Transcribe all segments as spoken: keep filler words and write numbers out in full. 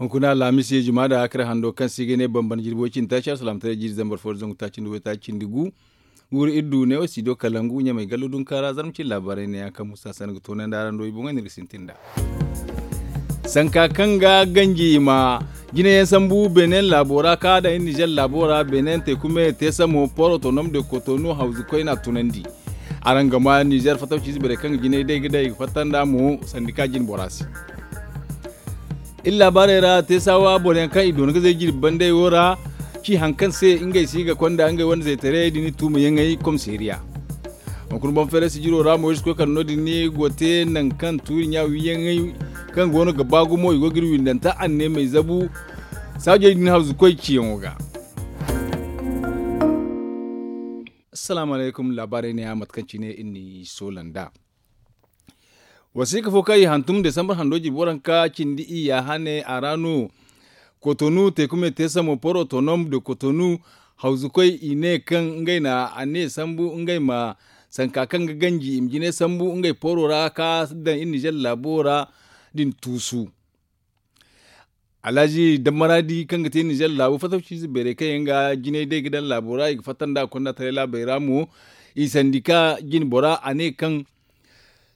Hunkuna alhamis ye juma da hakar hando kaŋ se i ga ne bambam jirbi way cindi taaci alsalaamataray jiiri zambar fo da zangu taaci nda way taaci cindi gu. Guuru iri du ne wo studio kalangu ɲamay gallo dunka ra zarma cine laabaarey ne yaŋ kaŋ musa sanda ga toonandi araŋ do i boŋey no iri ga sintin nd'a. Sanka kaŋ ga ganji i ma jine yaŋ sambu beene laabo ra kaŋ a daŋ iri nizer laabo ra beene teeku me teesamo port autonome de kotonu hawzu koyne a tunandi. Araŋ ga ma nizer fattaw ciize borey kaŋ ga jinay day ga day i ga fatta nd'a mo sandika jine bora se. Iri laabaarey ra teesawa boro yaŋ kaŋ i doona ga zay jirbi bandey wo ra ci hari kaŋ se ngey se i ga konda ngey wane zaytaray din tuumayaŋey komiseeriya. Hunkuna boŋ feeray sijiro ra moyis koy kala no- din ni go te nangu kaŋ tuuri ɲa wiiyaŋey kaŋ go no ga ba gumo i go ga iri windanta anneemey zabu saajey din hawzu koy ciyaŋo ga. Assalaamu alaykum laabaarey ne ya mate kaŋ cine iri n'i soola nd'a. Wasiika fo kaŋ i hantum desambar hando jirbi waranka cindi iyya hane a ra no kotonu teeku me te samo port autonome de kotonu hawzukoy i ne kaŋ ngey na a ne sambu ngey ma sanka kaŋ ga ganji i ma jine sambu ngey pooro ra ka daŋ iri nizer laabo ra din tuusu. Alhaji dammaraadi kaŋ ga te nizer laabo fattaw ciize beerey kaŋ yaŋ ga jinay day ga daŋ laabo ra i ga fatta nd'a ga konda taray laabey ra mo i sandika jine bora a ne kaŋ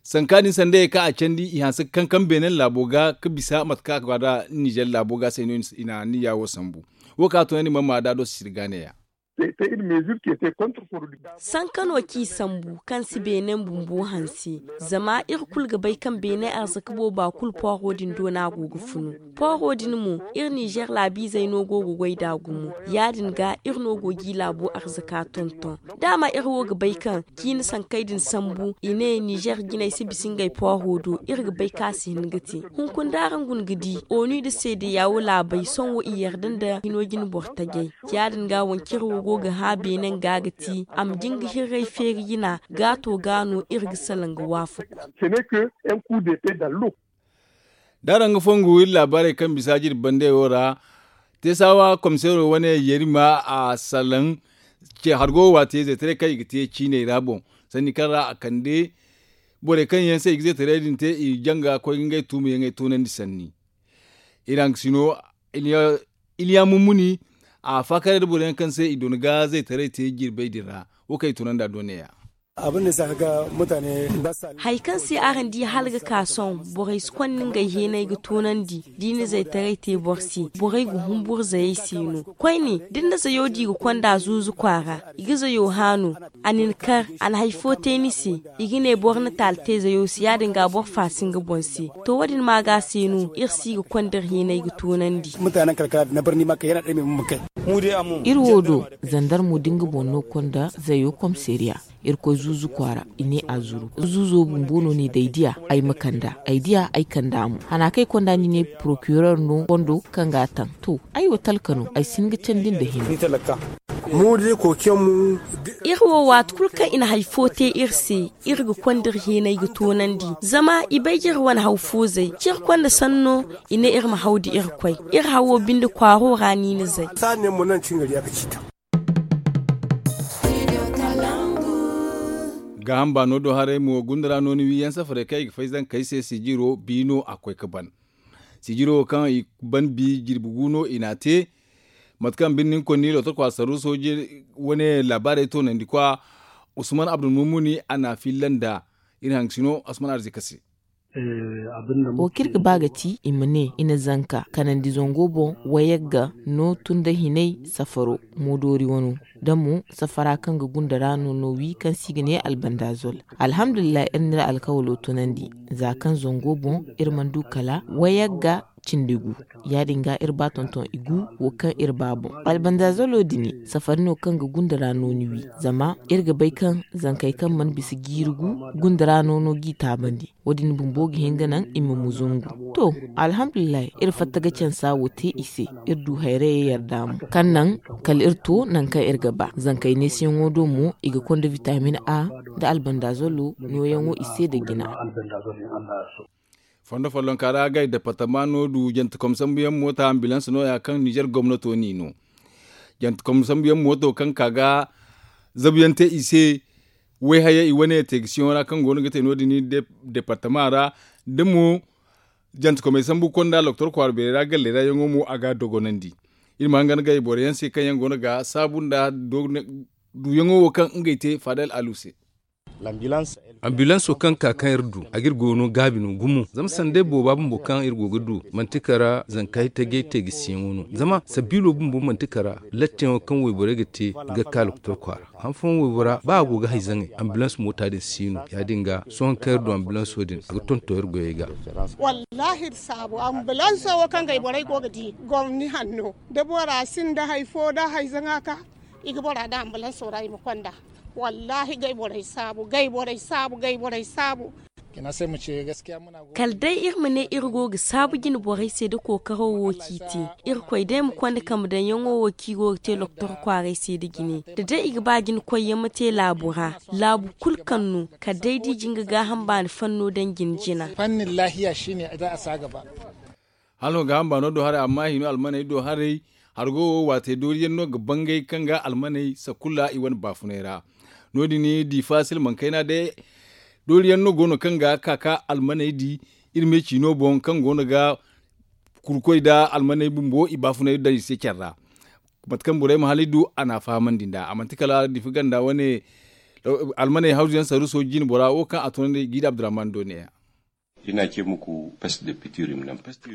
sanka din sanda ye kaŋ a candi i hanse ga kankam beene laabo ga ga bisa mate kaŋ a ga ba nd'a nizer laabo ga se no i na anniya wo sambu. Wo kaŋ a tunandi mana ma da do sisiri ga neeya. Sanka no kaŋ i sambu kaŋ si beene bumbo hanse. Zama iri kulu ga bay kaŋ beene arzaka booba kulu pooro din do no a go ga funu. Pooro din mo iri nizer laabiizey no go ga goy nd'a gumo. Ya- din ga iri no go g'i laabo arzaka tonton. Daama iri wo ga bay kaŋ ciini sankey din sambu i ne nizer jinay si bisa ngey pooro do iri ga bay kaŋ a si hin ga te. Hunkuna da araŋ guna ga di onu nda seedeya wo laabey sohõ i yarda nda hino jine boro tajay. Ya- din ga wanciri wo go ga hã beene nga ga ti a ma jin ga hirray feeri jina gaato ga no iri ga salaŋ ga waafaku. Da araŋ ga fongu iri laabaarey kaŋ bisa jirbi bandey wo ra teesawa komiseero wane yerima a salaŋ ce hargo waati zaytaray kaŋ i ga te ciiney ra boŋ sanni kaŋ ra a kande borey kaŋ yaŋ se i ga zaytaray din te i janga koy ga ngey tuumayaŋey toonandi sanni. Iri haŋ ga si no iliya mummuni a faakare nda boro yaŋ kaŋ se i doona ga zaytaray te jirbey din ra. Wo kaŋ i tunandi a do neeya. Hari kaŋ se araŋ di hala ga ka sohõ borey si konda ngey heenay ga toonandi da i na zaytaray te boro se borey ga humburu zayey se no. Koyne da ni na zayo di ga konda zuuzu kwaara i ga zayo hã no. A na ni kar a na hari fo te ni se. I ga ne boro na taali te zayo se ya- din ga boro faasi nga boŋ se. To wo- din maaga se no iri si ga konda iri heenay ga toonandi. Iri wo do zandarmo da nga boŋ no konda zayo komiseeriya. Iri koy zuuzu kwaara i ne a zuru zuuzo bumbo no ne da ay diya ay ma kand'a ay diya ay kand'a mo hana kaŋ ay konda ni ne porokirer no fondo kaŋ ga a taŋ to. Ay wo talka no ay si hin ga candi nda hina. Iri wo waati kulu kaŋ i na hari fo te iri se iri ga konda iri heenay ga toonandi. Zama i bay ga iri wane haw fo zay ciri konda sanno i ne iri ma haw da iri koy. Iri hawo binde kwaaro ra no i na zay. Gaaham baano do haray mo gunda ra no ni wiiyaŋ safarey kaŋ i ga fay zankey se sijiro bi no a koy ga ban. Sijiro wo kaŋ i ban bi jirbi gu no i n'a te. Mate kaŋ birni ni konni lootokwa saru sooje wane laabaarey toonandikwa usman abdulmumuni a n'a filla nd'a. Iri hangasino usman arzika se. Wo kaŋ iri ga ba ga ti i ma ne i na zanka kanandi zango boŋ wayagga no tun da hinay safaro. Moodoori wano da mo safara kaŋ ga gunda ra no no wi kaŋ se i ga ne albandazol. Alhamdulillahi iri n'iri alkawalo tunandi za kaŋ zango boŋ iri mana du kala wayagga cindi gu. Ya- din ga iri ba tonton i gu wo kaŋ iri ba boŋ albandazolo din safari no kaŋ ga gunda ra no ni wi. Zama iri ga bay kaŋ zankey kaŋ mana bisa jiiri gu gunda ra no no g'i taabandi. Wo- din bumbo ga hin ga naŋ i ma muzungu. To, alhamdulillahi iri fatta ga cansa wo te i se. Iri du hayrayey yarda mo kaŋ naŋ kala iri to nangu kaŋ iri ga ba zankey neesiyaŋo do mo i ga konda vitamin a nda albandazolo nooyaŋo i se nda jina. Fondo follonka ra agay departama no du jante kom sambuyaŋ moota ambilans nooya kaŋ nizer gomnato n'i no. Jante kom sambuyaŋ mooto kaŋ ka ga zabuyaŋ te i se. Wayhayey i wane teegisiyaŋo ra kaŋ go no ga te no- din departama ra da mo Jantekomey sambu konda loktor kwaara beerey ra galley ra yaŋo mo a ga a dogonandi. Iri ma hangan gay boro yaŋ se kaŋ yaŋ go no ga saabu nda duyaŋo wo kaŋ ngey te faadal alu se. Ambilanso kaŋ ka kaŋ iri du a ga iri goono gaabi no gumo zama sanday booba bumbo kaŋ iri go ga du manti kara zanka itaje teegisiyaŋo no zama sabiilo bumbo manti kara lattiyaŋo kaŋ wayborey ga te ga ka loktor kwaara. Han fooyaŋ waybora ba a go ga hay zaŋay ambilans moota din si no ya- din ga sohõ kaŋ iri du ambilanso din a ga tonton iri goyey ga. Wallaahi iri saabu ambilanso wo kaŋ gay borey go ga di gomni hanno da bora sinda hari fo da hari zaŋa ka i ga bora da ambilanso ra i ma konda. Wallaahi gay borey saabu gay borey saabu gay borey saabu. Kala day iri ma ne iri go ga saabu jine borey se da kookaro wo kaŋ i te. Irkoy day ma konda kambe daŋyaŋo wo kaŋ i go ga te loktor kwaaray se nda jine da day i ga ba jine koyyaŋ ma te laabu ra laabu kulu kaŋ no kala day da i jin ga gaaham baani fanno daŋ jine jina. Hala no gaaham baano do haray amma hino almaney do haray hargo wo waatey dooriyaŋ no ga bangay kaŋ ga almaney sakulla i wane baafunay ra. No- din diifa silmaŋ kayna day dooriyaŋ no go no kaŋ ga ka ka almaney di iri me ciino boŋ kaŋ go no ga kurkoy nda almaney bumbo i baafunay daŋ i se care ra. Mate kaŋ borey ma hala i du a n'a fahamandi nd'a a manti kala diifa ganda wane almaney hawzu yaŋ saruuso jine bora wo kaŋ a tunandi jiida abdurrahman do ne- ya.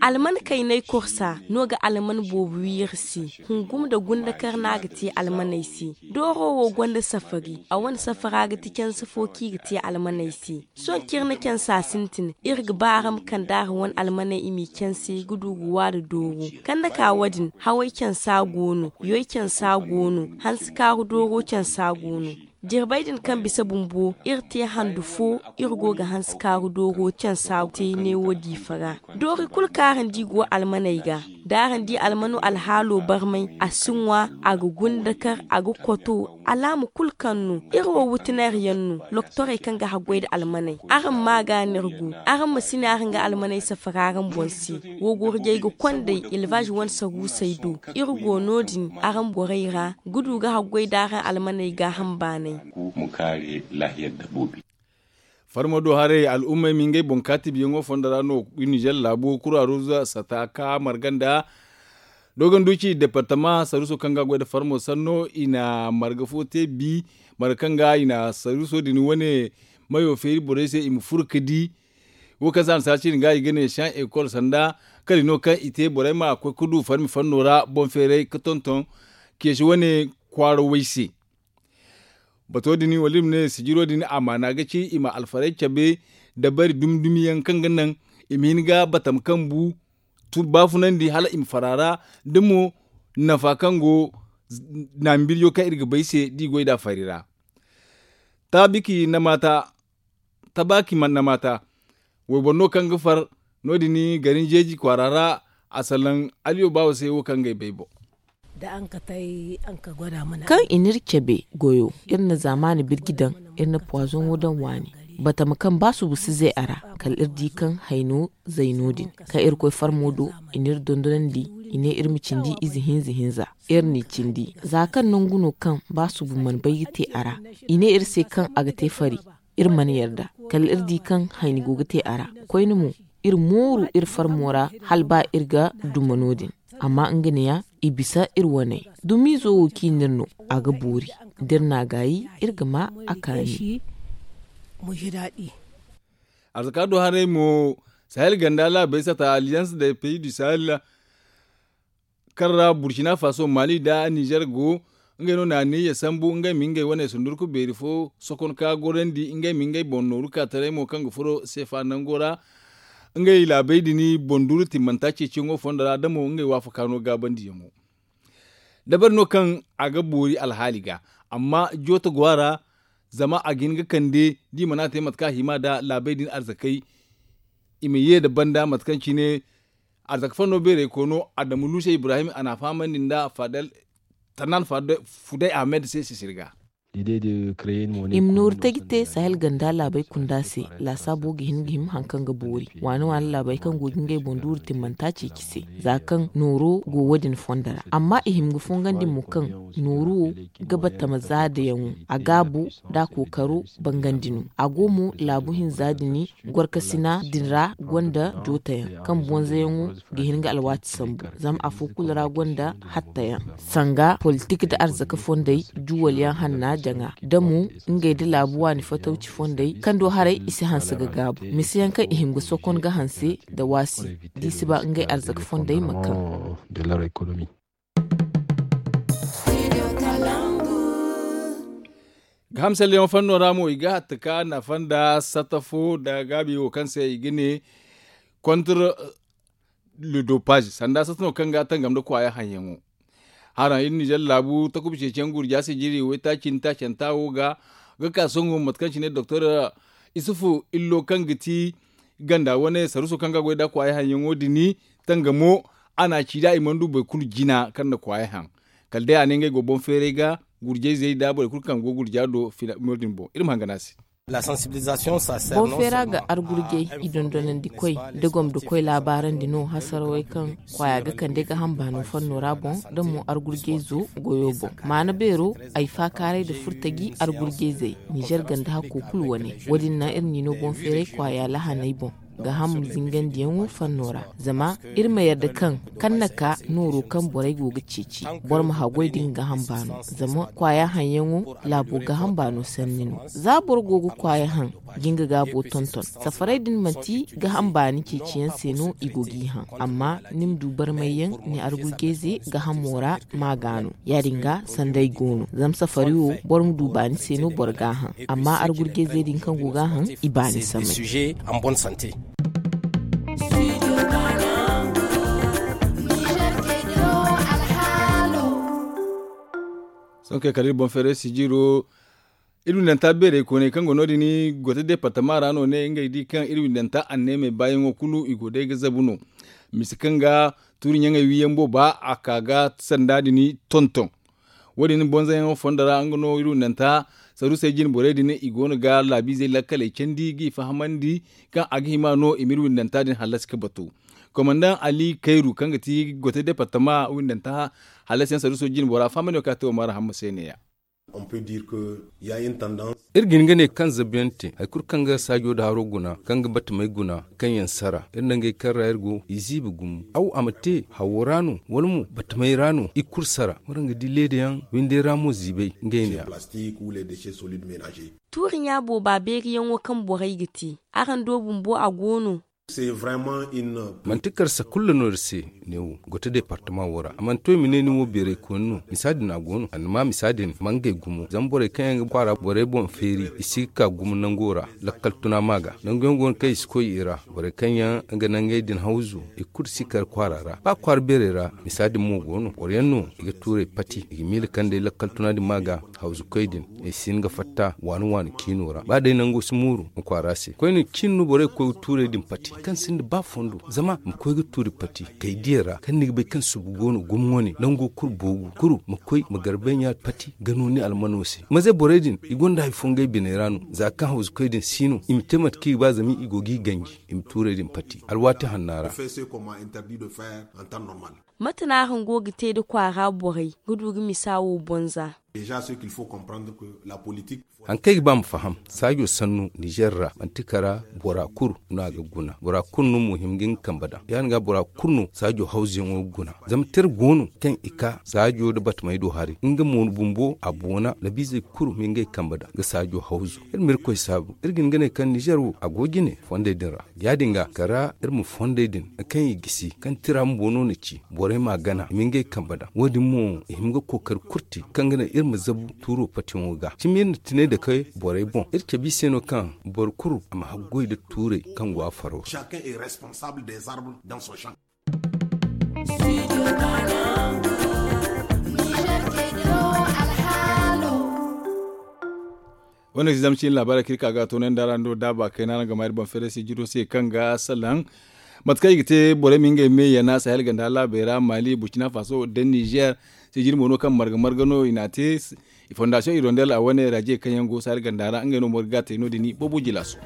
Alman kaynay korsa no ga alman boobo wi iri se. Hungum nda gundakar no a ga te almaney se. Dooro wo gonda safari a wane safara ga ti canse fo kaŋ i ga te almaney se. Sohõ kaŋ iri na cansa sintin iri ga ba araŋ ma kande araŋ wane almaney i m'i canse ga du ga waada dooro. Kande ka wo- din haway cansa go no yoy cansa go no hanse kaaru dooro cansa go no. Jirbey din kaŋ bisa bumbo iri te handu fo iri go ga hanse kaaru dooro cansa te neewo diifa ra. Doori kulu kaŋ araŋ di go almaney ga da araŋ di almano alhaalo barmay a si ŋwa a ga gundakar a ga koto alaama kulu kaŋ no iri wo wutinari yaŋ no. Loktorey kaŋ ga haggoy nda almaney araŋ ma a ga no iri go. Araŋ ma si ne araŋ ga almaney safara araŋ boŋ se. Wo gurjey ga kondey elbaaz wane saruusey do. Iri go no- din araŋ borey ra ga du ga haggoy nda araŋ almaney gaaham baanay. Farmo do haray al'ummey ma ngey boŋ kaatibiyaŋo fondo ra no nizer laabo kura ruza sata ka marga nda dogonduci departama saruuso kaŋ ga goy nda farmo sanno i na marga fo te bi marga kaŋ ga i na saruuso din wane mayo feeri borey se i ma furo ga di. Wo kaŋ se a na saasi din ga i ga ne san ekol sanda kala i no kaŋ i te borey ma koy ga du farmi fanno ra boŋ feeray ga tonton keesi wane kwaara way se. Bato din wala iri ma ne sijiro din amaana ga ci i ma alfarey cabe dabari dumi dumi yaŋ kaŋ ga naŋ i ma hin ga batama kambu baafunandi hala i ma fara ra da mo nafa kaŋ go naamibiriyo kaŋ iri ga bay se da i goy nd'a fari ra. Taabiki na maata tabaaki manna maata wayboro no kaŋ ga far no- din garin jeeji kwaara ra a salaŋ aliyo baawo se wo kaŋ ga ay bay boŋ. Kaŋ i n'iri cabe goyo iri na zaamaani birji daŋ iri na puwaazoŋo daŋ waani batama kaŋ ba subu si zay a ra kala iri di kaŋ hayno zay no- din kaŋ irkoy farmo do i n'iri dondonandi i ne iri ma cindi ize hinza hinza. Iri n'i cindi za kaŋ nangu no kaŋ ba subu mana bay ga te a ra i ne iri se kaŋ a ga te fari. Iri mana yarda kala iri di kaŋ hayni go ga te a ra koyne mo iri mooru iri farmo ra hala ba iri ga duma no- din. Amma nga neeya i bisa iri waney dumiizo wo kaŋ i n'iri no a ga boori da iri n'a gaayi iri ga ma a kaani. Arzaka do haray mo sahel ganda laabey sata alliance de pays du sahel kaŋ ra burkina faso mali nda nizer go ngey no na niya sambu ngey ma ngey wane sundurku beeri fo sokon ka gorandi ngey ma ngey boŋ nooru ka taray mo kaŋ ga furo seefa nango ra. Ngey laabey din boŋ duuru timmanta ceeciyaŋo fondo ra da mo ngey waafaka no gaabandiyaŋo. Dabari no kaŋ a ga boori alhaali ga amma jooto go a ra. Zama a ga hin ga kande da i mana te mate kaŋ a hima nda laabey din arzakey i ma ye nda banda mate kaŋ cine arzaka fanno beerey koyno adamu luusey ibrahim a n'a fahamandi nda fadel tannan fudey ahmed se sisiri ga. I ma nooru taji te sahel ganda laabey kunda se. Laasaabo ga hin ga hima hari kaŋ ga boori waani waani laabey kaŋ go ga ngey boŋ duuru timmanta ceeci se. Za kaŋ nooro go wo- din fondo ra amma i hima ga fongandi mo kaŋ nooru wo ga batama zaadayaŋo a gaabu da a kookaro bangandi no. A go mo laabu hinza din gorkasina din ra gonda jootayaŋ kaŋ bonzayaŋo ga hin ga alwaati sambu. Zama afo kulu ra gonda hattayaŋ sanga politik nda arzaka fondey juwalyaŋ hanna jaŋa da mo ngey nda laabu waani fatawci fondey kaŋ do haray i si hanse ga gaabu miseyaŋ kaŋ i hima ga sokon ga hanse nda waasi da i si ba ngey arzaka fondey ma kaŋ. Ga hamsalyaŋo fanno ra mo i ga hatta ka nafa nda sata fo nda gaabi wo kaŋ se i ga ne kontra le dopage sanda sata no kaŋ ga tangam nda kwaaya haŋyaŋo. Haraŋ iri nizer laabu takuba ceeciyaŋ gurja se jiri waytaaci nda taacanta wo ga ga ka songo mate kaŋ cine doktor isufu illo kaŋ ga ti ganda wane saruso kaŋ ga goy nda kwaaya haŋyaŋo din tangamo a na a ci da i mana du boro kulu jina kaŋ na kwaaya haŋ. Kala day a ne ngey go boŋ feeray ga gurjayzey nda borey kulu kaŋ go gurja do. Fina mo din boŋ iri ma hangan a se. Boŋ feera ga argurjay i dondonandi koy da gomdo koy laabaarandi no hasarawey kaŋ kwaaya ga kande ga hamba no fanno ra boŋ da mo argurjayzo goyo boŋ maana beero ay faakaaray nda furtaji argurjayzey nizer ganda hakko kulu wane. Wo- din naŋ iri n'i no boŋ feeray kwaaya lahaney boŋ ga ham zingandiyaŋo fanno ra zama iri ma yarda kaŋ kaŋ na ka nooro kaŋ borey go ga ceeci boro ma haggoy da nga ga hamba no zama kwaaya haŋyaŋo laabo ga hamba no sanni no. Za boro go ga kwaaya haŋ ga nga gaabo tonton safarey din manti ga hamba ni ceeciyaŋ se no i go g'i haŋ amma ni ma du barmayyaŋ ni argurjayze ga hamo ra ma ga no. Ya- din ga sanday go no zama safari wo boro ma du baani se no boro ga a haŋ amma argurjayzey din kaŋ go ga a haŋ i baani samay. Sohõ kay kala iri boŋ feeray sijiro iri windanta beerey kooney kaŋ go no- din gote departama ra no ne ngey di kaŋ iri windanta anneemey baayaŋo kulu i go day ga zabu no. Misa kaŋ ga tuuri ɲaŋey wiiyaŋ booba a ka ga sanda din tonton. Wo- din bonzayaŋo fondo ra nga no iri windanta saruusey jine borey din i go no ga laabiizey lakkaley candi g'i fahamandi kaŋ a ga hima no i ma iri windanta din hallasi ga batu. Komandaŋ ali kayru kaŋ ga ti gote departama windanta hallasiyaŋ saruuso jine bora fahamandi no kaŋ a te wo maara hamma se ne- ya. Iri ga hin ga ne kaŋ zabu yaŋ te hari kulu kaŋ ga saajo nda haro guna kaŋ ga batamey guna kaŋ yaŋ sara iri nangey kaŋ ra iri go i ziibi gumo aw a ma te hawo ra no wala mo batamey ra no i kulu sara waraŋ ga di leeda yaŋ windey ra mo ziibay ngey ne- ya. Tuuri ɲa booba beeriyaŋo kaŋ borey ga te araŋ do bumbo a go no? Manti karsa kulu no iri se. Neewo gote departama wo ra a mana to i ma ne nin wo beeray kooni no misa din a go no a na ma misa din ma ngey gumo zama borey kaŋ yaŋ ga kwaara borey boŋ feeri i si ga ka gumo nango ra. Lakkal tuna ma ga nangu yaŋ go no kaŋ i si koy i ra borey kaŋ yaŋ ga nangey din hawzu i kulu si kar kwaara ra ba kwaara beeray ra. Misa din mo go no boro yaŋ no i ga tuuray pati i ga miila kaŋ day lakkal tuna din ma ga hawzu koy din i si hin ga fatta waani waani ciino ra ba day nango si mooru ma kwaara se koyne ciini no borey ga koy ga tuurey din pati kaŋ sinda ba fondo zama ma koy ga tuuri pati kay diya ra kaŋ ni ga bay kaŋ subu go no gumo wane nango kulu boogu kulu ma koy ma garbay ɲa pati ga no ni almano se maze borey din i gonda hari fo ngey biney ra no za kaŋ hawzu koy din si no i ma te mate kaŋ i ga ba zama i go g'i ganji i ma tuurey din pati alwaati hanna ra. Mate no araŋ go ga te nda kwaara borey ga du ga misa wo bonza? Hari kaŋ ay ga ba ma faham saajo sannu nizer ra manti kara bora kulu no a ga guna bora kulu no mo hima ga nga kambe daŋ ya- din ga bora kulu no saajo hawzuyaŋo ga guna. Zama tira go no kaŋ i ka saajo nda batamey do hari nga mo bumbo a boona labiizey kulu ma ngey kambe daŋ ga saajo hawzu iri ma irkoy saabu iri ga hin ga ne kaŋ nizer wo a go jine fondey din ra. Ya- din ga kala iri ma fondey din kaŋ i gisi kaŋ tira bumbo no na ci borey m'a gana i ma ngey kambe daŋ wo- din mo i hima ga kookari kulu te kaŋ ga naŋ iri ma zabu tuuro patiyaŋo ga cimi iri na tinay dake borey boŋ iri cabe i se no kaŋ boro kulu a ma haggoy nda tuurey kaŋ go a faro ra. Wane si zama cine laabaarey kaŋ iri ka ga toonandi araŋ do daaba kayna araŋ ga ma iri boŋ feeray se jiro se kaŋ ga salaŋ mate kaŋ i ga te borey ma ngey me yana sahel ganda laabey ra mali burkina faso nda nizer. Tijiri mo no kaŋ marga marga no i n'a te. Fondasiyoŋ irondel a wane raje kaŋ yaŋ go saari ganda ra ngey no mo ga te no- din boobo jilaaso.